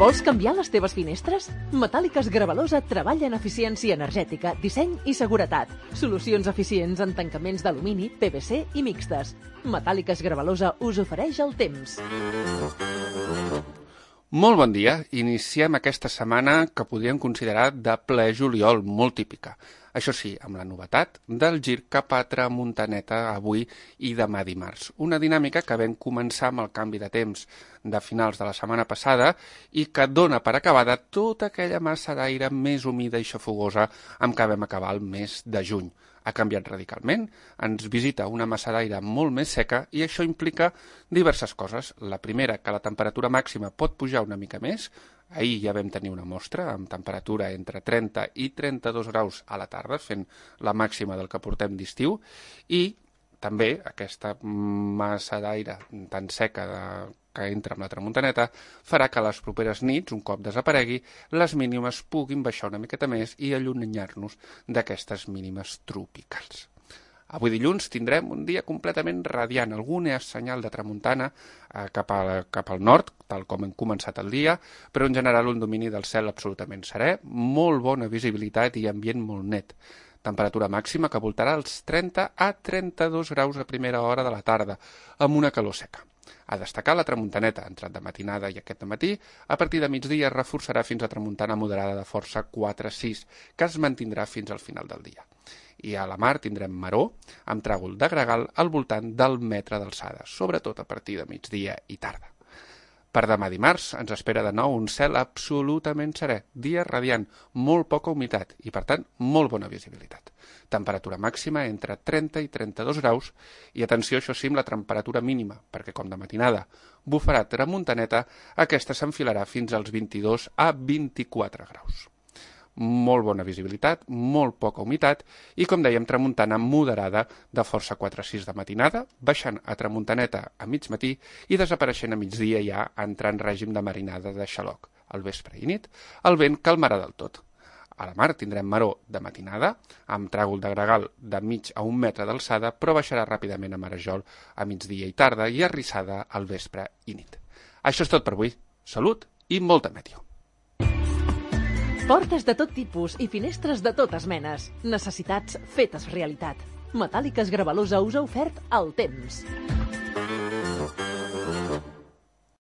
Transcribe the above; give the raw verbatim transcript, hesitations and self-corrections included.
Vols canviar les teves finestres? Metàl·liques Gravalosa treballa en eficiència energètica, disseny i seguretat. Solucions eficients en tancaments d'alumini, P V C i mixtes. Metàl·liques Gravalosa us ofereix el temps. Molt bon dia. Iniciem aquesta setmana que podríem considerar de ple juliol, molt típica. Això sí, amb la novetat del gir cap a tramuntaneta avui i demà dimarts. Una dinàmica que vam començar amb el canvi de temps de finals de la setmana passada i que dona per acabada tota aquella massa d'aire més humida i xafogosa amb què vam acabar el mes de juny. Ha canviat radicalment, ens visita una massa d'aire molt més seca i això implica diverses coses. La primera, que la temperatura màxima pot pujar una mica més. Ahir ja vam tenir una mostra amb temperatura entre trenta i trenta-dos graus a la tarda, fent la màxima del que portem d'estiu, i també aquesta massa d'aire tan seca de, que entra amb la tramuntaneta farà que les properes nits, un cop desaparegui, les mínimes puguin baixar una miqueta més i allunyar-nos d'aquestes mínimes tropicals. Avui dilluns tindrem un dia completament radiant, algun senyal de tramuntana eh, cap, a, cap al nord, tal com hem començat el dia, però en general un domini del cel absolutament serè, molt bona visibilitat i ambient molt net. Temperatura màxima que voltarà els trenta a trenta-dos graus a primera hora de la tarda, amb una calor seca. A destacar la tramuntaneta, entrat de matinada i aquest matí, a partir de migdia es reforçarà fins a tramuntana moderada de força quatre sis, que es mantindrà fins al final del dia. I a la mar tindrem maró, amb tràgol de gregal al voltant del metre d'alçada, sobretot a partir de migdia i tarda. Per demà dimarts ens espera de nou un cel absolutament serè, dia radiant, molt poca humitat i, per tant, molt bona visibilitat. Temperatura màxima entre trenta i trenta-dos graus i, atenció, això sí, amb la temperatura mínima, perquè com de matinada bufarà tramuntaneta, aquesta s'enfilarà fins als vint-i-dos a vint-i-quatre graus. Molt bona visibilitat, molt poca humitat i, com dèiem, tramuntana moderada de força quatre sis de matinada, baixant a tramuntaneta a mig matí i desapareixent a migdia ja entrant en règim de marinada de xaloc. Al vespre i nit, el vent calmarà del tot. A la mar tindrem maró de matinada, amb tràgol de gregal de mig a un metre d'alçada, però baixarà ràpidament a marejol a migdia i tarda i arrissada al vespre i nit. Això és tot per avui. Salut i molta meteo. Portes de tot tipus i finestres de totes menes. Necessitats fetes realitat. Metàl·liques Gravalosa us ha ofert el temps.